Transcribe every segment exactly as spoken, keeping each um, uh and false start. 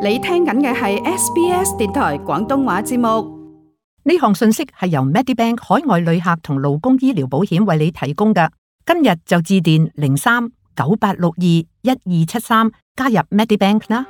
你聽緊嘅係 S B S 電台廣東話節目。呢項信息係由 Medibank 海外旅客同勞工醫療保險為你提供嘅。今日就致電零三九八六二一二七三加入 Medibank 啦。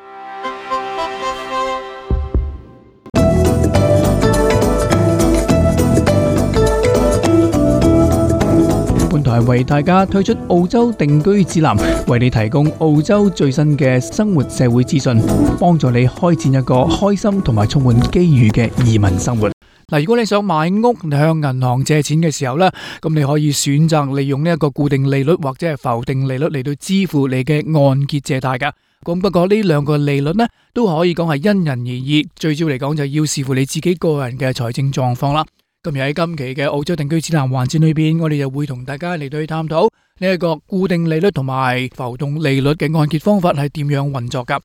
本台為大家推出澳洲定居指南，為你提供澳洲最新嘅生活社會資訊，幫助你開展一個開心同埋充滿機遇嘅移民生活。嗱，如果你想買屋向銀行借錢嘅時候呢，咁你可以選擇利用呢一個固定利率或者係浮定利率嚟到支付你嘅按揭借貸噶。咁不過呢兩個利率呢，都可以講係因人而異，最主要嚟講就要視乎你自己個人嘅財政狀況啦。今日喺今期嘅澳洲定居指南環節裏邊，我哋就會同大家嚟到去探討呢一個固定利率同埋浮動利率嘅按揭方法係點樣運作噶。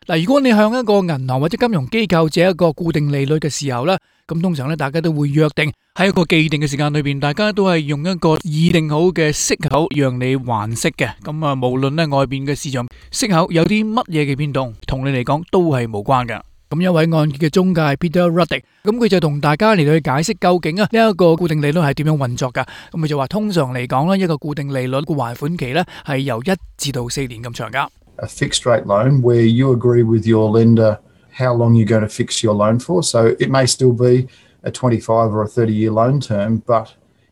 嗱，如果你向一個銀行或者金融機構借一個固定利率嘅時候呢，咁通常咧大家都會約定喺一個既定嘅時間裏邊，大家都係用一個擬定好嘅息口讓你還息嘅。咁啊，無論咧外邊嘅市場息口有啲乜嘢嘅變動，同你嚟講都係無關嘅。咁一位按揭嘅中介 Peter Ruddick， 咁佢就同大家嚟到去解釋究竟啊呢一個固定利率係點樣運作噶。咁佢就話通常嚟講咧，一個固定利率嘅還款期咧係由一至到四年咁長噶。A fixed rate loan where you agree with your lender how long you're going to fix your loan for. So it may still be a twenty-five or a thirty year loan term, but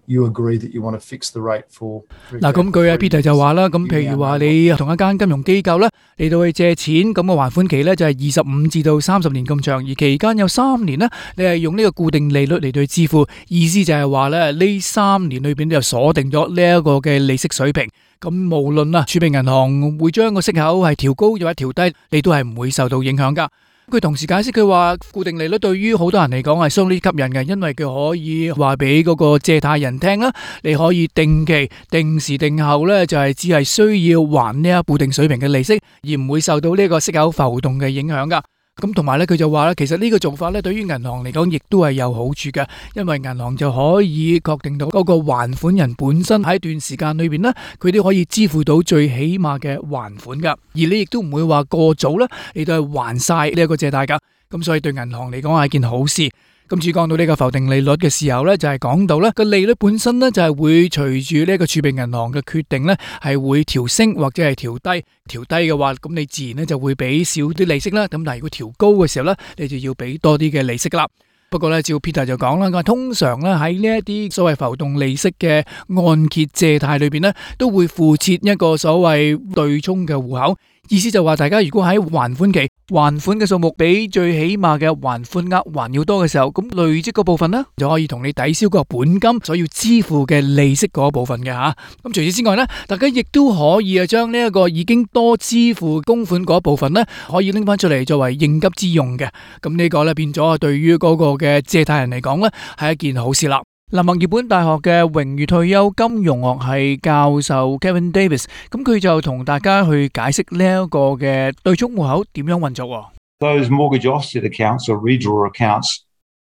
you agree that you want to fix the rate for. 嗱，咁佢阿 Peter 就話啦，咁譬如話你同一間金融機構咧嚟到去借錢，咁個還款期咧就係二十五至到三十年咁長，而期間有三年咧，你係用呢個固定利率嚟到去支付，意思就係話咧呢三年裏邊就鎖定咗呢一個嘅利息水平。咁無論啊儲備銀行會將個息口係調高或者調低，你都係唔會受到影響噶。佢同時解釋佢話，固定利率對於好多人嚟講係相當吸引嘅，因為佢可以話俾嗰個借貸人聽啦，你可以定期、定時定候咧，就係只係需要還呢一固定水平嘅利息，而唔會受到呢個息口浮動嘅影響噶。咁同埋咧，佢就話咧，其實呢個做法咧，對於銀行嚟講，亦都係有好處嘅，因為銀行就可以確定到嗰個還款人本身喺一段時間裏邊呢，佢都可以支付到最起碼嘅還款噶，而你亦都唔會話過早啦，你都係還晒呢一個借貸噶，咁所以對銀行嚟講係一件好事。今次講到呢個浮定利率嘅時候呢，就係講到呢個利率本身呢，就係會隨住呢個儲備銀行嘅決定呢，係會調升或者係調低。調低嘅話，咁你自然呢就會俾少啲利息啦。咁但係如果調高嘅時候呢，你就要俾多啲嘅利息啦。不過呢，照 Peter 就講啦，通常呢喺呢一啲所謂浮動利息嘅按揭借貸裏邊呢，都會附設一個所謂對沖嘅戶口。意思就話，大家如果喺還款期還款嘅數目比最起碼嘅還款額還要多嘅時候，咁累積嗰部分呢，就可以同你抵消個本金所要支付嘅利息嗰部分嘅吓。咁除此之外呢，大家亦都可以啊將呢一個已經多支付供款嗰部分呢，可以拎翻出嚟作為應急之用嘅。咁呢個呢，變咗對於嗰個嘅借貸人嚟講呢，係一件好事啦。嗱，墨爾本大學嘅榮譽退休金融學系教授 Kevin Davis， 咁佢就同大家去解釋呢一個嘅對沖戶口點樣運作。Those mortgage offset accounts or redraw accounts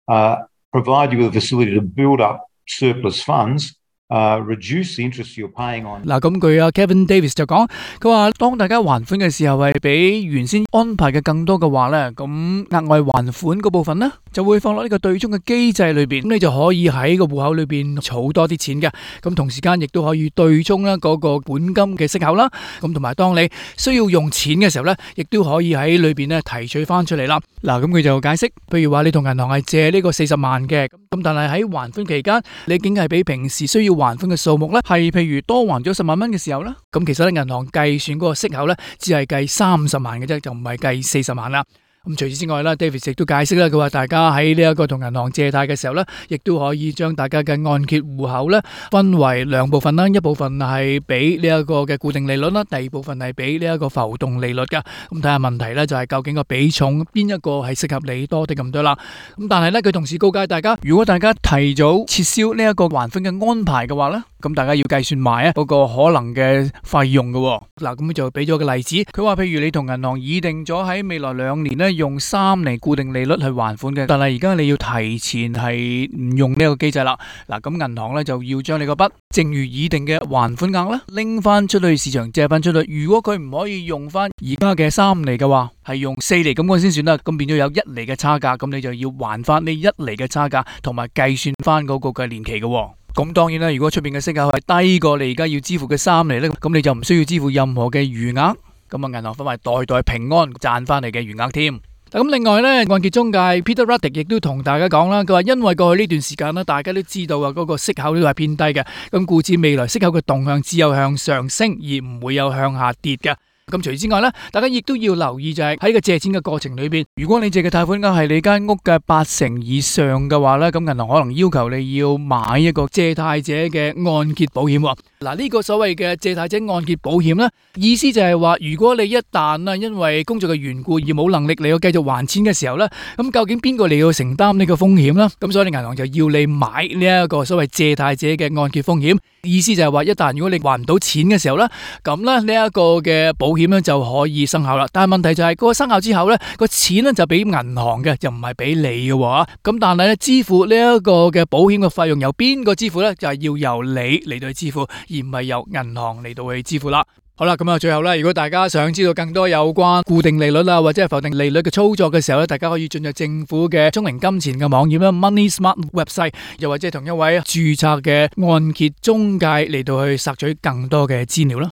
uh, provide you with a facility to build up surplus funds. Uh, reduce the interest you're paying on. 嗱，咁佢阿 Kevin Davis 就講，佢話當大家還款嘅時候係比原先安排嘅更多嘅話咧，咁額外還款嗰部分咧就會放落呢個對沖嘅機制裏邊，咁你就可以喺個戶口裏邊儲多啲錢嘅，咁同時間亦都可以對沖啦嗰個本金嘅息口啦，咁同埋當你需要用錢嘅時候咧，亦都可以喺裏邊咧提取翻出嚟啦。嗱，咁佢就解釋，譬如話你同銀行係借呢個四十萬嘅，咁但係喺還款期間，你竟係比平時需要還款嘅數目咧，係譬如多還咗十萬蚊嘅時候咧，咁其實咧銀行計算嗰個息口咧，只係計三十萬嘅啫，就唔係計四十萬啦。咁除此之外啦 ，David 亦都解釋啦，佢話大家喺呢一個同銀行借貸嘅時候咧，亦都可以將大家嘅按揭戶口咧分為兩部分啦，一部分係俾呢一個嘅固定利率啦，第二部分係俾呢一個浮動利率噶。咁睇下問題咧，就係究竟個比重邊一個係適合你多啲咁多啦。咁但係咧，佢同時告誡大家，如果大家提早撤銷呢一個還款嘅安排嘅話咧，咁大家要計算埋啊嗰個可能嘅費用嘅。嗱，咁就俾咗個例子，佢話譬如你同銀行擬定咗喺未來兩年咧用三厘固定利率去還款嘅，但係而家你要提前係唔用呢個機制啦。嗱，咁銀行咧就要將你個筆正如擬定嘅還款額咧拎翻出去市場借翻出去。如果佢唔可以用翻而家嘅三厘嘅話，係用四厘咁樣先算啦。咁變咗有一厘嘅差價，咁你就要還翻呢一厘嘅差價，同埋計算翻嗰個嘅年期嘅。咁當然啦，如果出邊嘅息口係低過你而家要支付嘅三厘咧，咁你就唔需要支付任何嘅餘額。咁啊，銀行分為代代平安賺翻嚟嘅餘額添。咁另外咧，按揭中介 Peter Ruddick 亦都同大家講啦，佢話因為過去呢段時間咧，大家都知道啊，嗰個息口都係偏低嘅，咁故此未來息口嘅動向只有向上升，而唔會有向下跌嘅。咁除此之外咧，大家亦都要留意就係喺個借錢嘅過程裏邊，如果你借嘅貸款額係你間屋嘅八成以上嘅話咧，咁銀行可能要求你要買一個借貸者嘅按揭保險。嗱，呢個所謂嘅借貸者按揭保險咧，意思就係話，如果你一旦啊因為工作嘅緣故而冇能力你要繼續還錢嘅時候咧，咁究竟邊個嚟要承擔呢個風險咧？咁所以銀行就要你買呢一個所謂借貸者嘅按揭風險。意思就係話，一旦如果你還唔到錢嘅時候咧，咁咧呢一個嘅保險咧就可以生效啦。但係問題就係嗰個生效之後咧，個錢咧就俾銀行嘅，就唔係俾你嘅喎。咁但係咧，支付呢一個嘅保險嘅費用由邊個支付咧？就係要由你嚟到去支付，而唔係由銀行嚟到去支付啦。好啦，咁啊，最後咧，如果大家想知道更多有關固定利率啦，或者係浮定利率嘅操作嘅時候咧，大家可以進入政府嘅聰明金錢嘅網頁啦 ，Money Smart Website， 又或者係同一位註冊嘅按揭中介嚟到去索取更多嘅資料啦。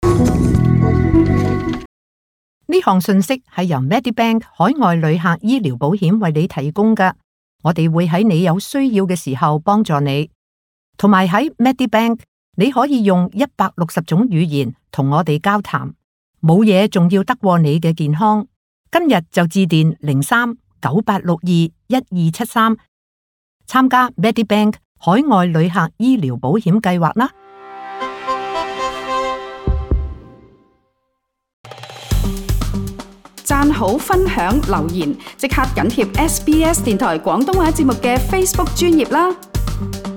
呢項信息係由 Medibank 海外旅客醫療保險為你提供嘅，我哋會喺你有需要嘅時候幫助你，同埋喺 Medibank 你可以用一百六十種語言同我哋交談，冇嘢仲要得過你嘅健康。今日就致電零三九八六二一二七三，參加 Medibank 海外旅客醫療保險計劃啦。讚好、分享、留言，即刻緊貼 S B S 電台廣東話節目嘅 Facebook 專頁啦！